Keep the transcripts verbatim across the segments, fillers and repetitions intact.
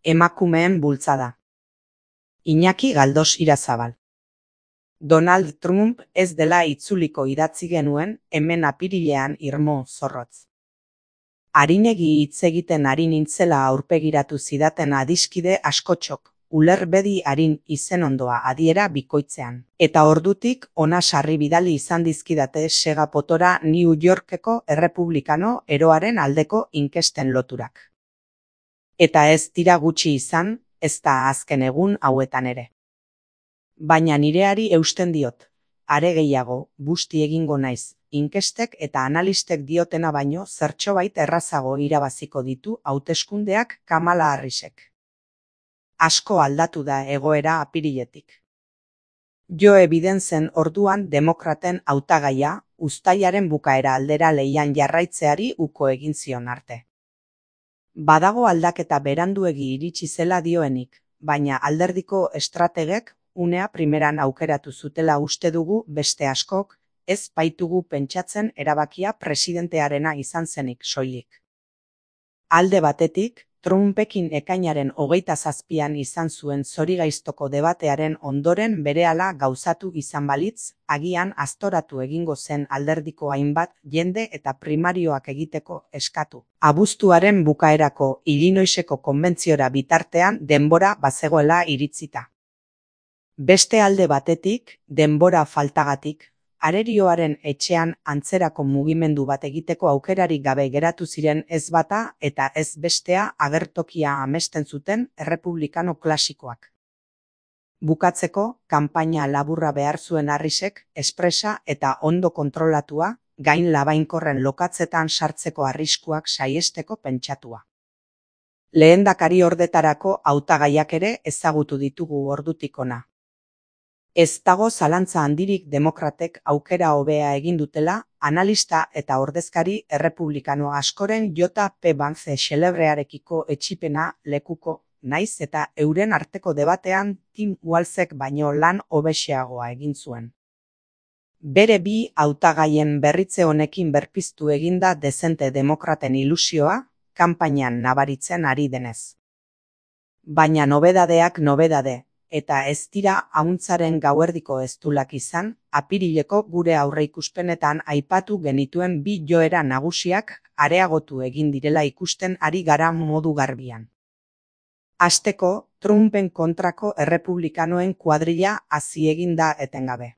Emakumeen bultzada. Iñaki Galdos Irazabal. Donald Trump ez dela itzuliko idatzi genuen hemen apirilean irmo zorrotz. Arinegi hitz egiten ari nintzela aurpegiratu zidaten adiskide askotxok, ulerbedi arin izenondoa adiera bikoitzean. Eta ordutik ona sarri bidali izan dizkidate segapotora New Yorkeko errepublikano eroaren aldeko inkesten loturak. Eta ez dira gutxi izan, ez da azken egun hauetan ere. Baina nireari eusten diot, are gehiago, busti egingo naiz, inkestek eta analistek diotena baino zertxobait errazago irabaziko ditu hauteskundeak Kamala Harrisek. Asko aldatu da egoera apiriletik. Joe Bidensen orduan demokraten hautagaia, uztailaren bukaera aldera leian jarraitzeari uko egin zion arte. Badago aldaketa beranduegi iritsi zela dioenik, baina alderdiko estrategek unea primeran aukeratu zutela uste dugu beste askok, ez baitugu pentsatzen erabakia presidentearena izan zenik soilik. Alde batetik, Trumpekin ekainaren hogeita zazpian izan zuen zorigaiztoko debatearen ondoren berehala gauzatu izan balitz, agian aztoratu egingo zen alderdiko hainbat jende eta primarioak egiteko eskatu. Abuztuaren bukaerako Illinoiseko konbentziora bitartean denbora bazegoela iritzita. Beste alde batetik, denbora faltagatik, arerioaren etxean antzerako mugimendu bat egiteko aukerarik gabe geratu ziren ez bata eta ez bestea agertokia amesten zuten errepublikano klasikoak. Bukatzeko, kanpaina laburra behar zuen Harrisek, espresa eta ondo kontrolatua, gain labainkorren lokatzetan sartzeko arriskuak saihesteko pentsatua. Lehendakari ordetarako hautagaiak ere ezagutu ditugu ordutik hona. Ez dago zalantza handirik demokratek aukera hobea egin dutela, analista eta ordezkari errepublikano askoren J P Vance xelebrearekiko etxipena lekuko, naiz eta euren arteko debatean Tim Walzek baino lan hobexeagoa egin zuen. Bere bi hautagaien berritze honekin berpiztu eginda dezente demokraten ilusioa, kanpainan nabaritzen ari denez. Baina nobedadeak nobedade. Eta ez dira ahuntzaren gauerdiko eztulak izan, apirileko gure aurreikuspenetan aipatu genituen bi joera nagusiak areagotu egin direla ikusten ari gara modu garbian. Hasteko, Trumpen kontrako errepublikanoen kuadrilla hazi egin da etengabe.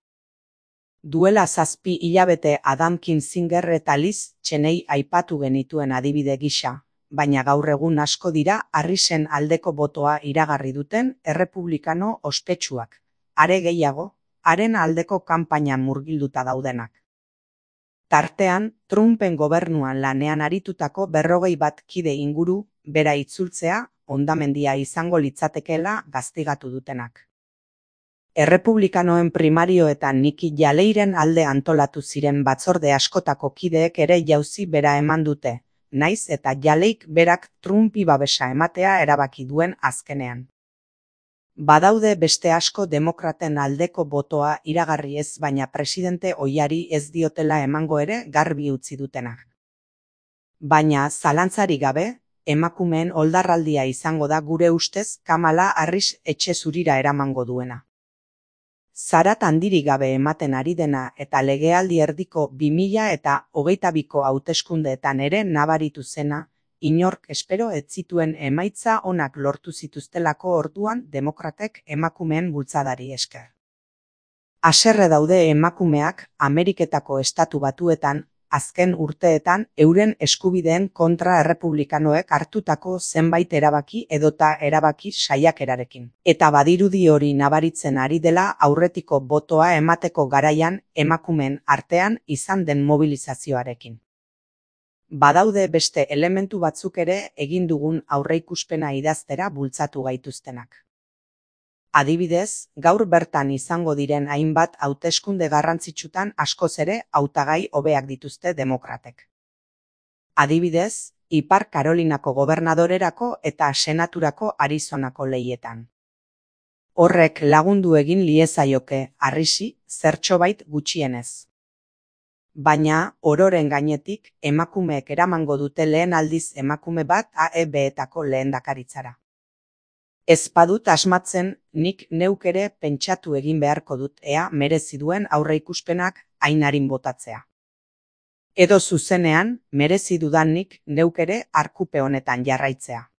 Duela zazpi hilabete Adam Kinzinger eta Liz Cheney aipatu genituen adibide gisa. Baina gaur egun asko dira Harrisen aldeko botoa iragarri duten errepublikano ospetsuak, are gehiago, haren aldeko kanpainan murgilduta daudenak. Tartean, Trumpen gobernuan lanean aritutako berrogei bat kide inguru, bera itzultzea, hondamendia izango litzatekeela gaztigatu dutenak. Errepublikanoen primarioetan Nikki Haleyren alde antolatu ziren batzorde askotako kideek ere jauzi bera eman dute. Naiz eta Haleyk berak Trumpi babesa ematea erabaki duen azkenean. Badaude beste asko demokraten aldeko botoa iragarri ez baina presidente ohiari ez diotela emango ere garbi utzi dutenak. Baina zalantzari gabe, emakumeen oldarraldia izango da gure ustez Kamala Harris etxe zurira eramango duena. Zarat handirik gabe ematen ari dena eta legealdi erdiko bi mila eta hogeita biko hauteskundeetan ere nabaritu zena, inork espero ez zituen emaitza onak lortu zituztelako orduan demokratek emakumeen bultzadari esker. Haserre daude emakumeak Ameriketako estatu batuetan, azken urteetan euren eskubideen kontra errepublikanoek hartutako zenbait erabaki edota erabaki saiakerarekin. Eta badirudi hori nabaritzen ari dela aurretiko botoa emateko garaian emakumeen artean izan den mobilizazioarekin. Badaude beste elementu batzuk ere egin dugun aurreikuspena idaztera bultzatu gaituztenak. Adibidez, gaur bertan izango diren hainbat hauteskunde garrantzitsutan askoz ere hautagai hobeak dituzte demokratek. Adibidez, Ipar Karolinako gobernadorerako eta senaturako Arizonako lehietan. Horrek lagundu egin liezaioke Harrisi zertxobait gutxienez. Baina, ororen gainetik, emakumeek eramango dute lehen aldiz emakume bat A E B-etako lehendakaritzara. Ez badut asmatzen, nik neuk ere pentsatu egin beharko dut ea merezi duen aurreikuspenak Ainarin botatzea. Edo zuzenean, merezi dudanik neuk ere arkupe honetan jarraitzea.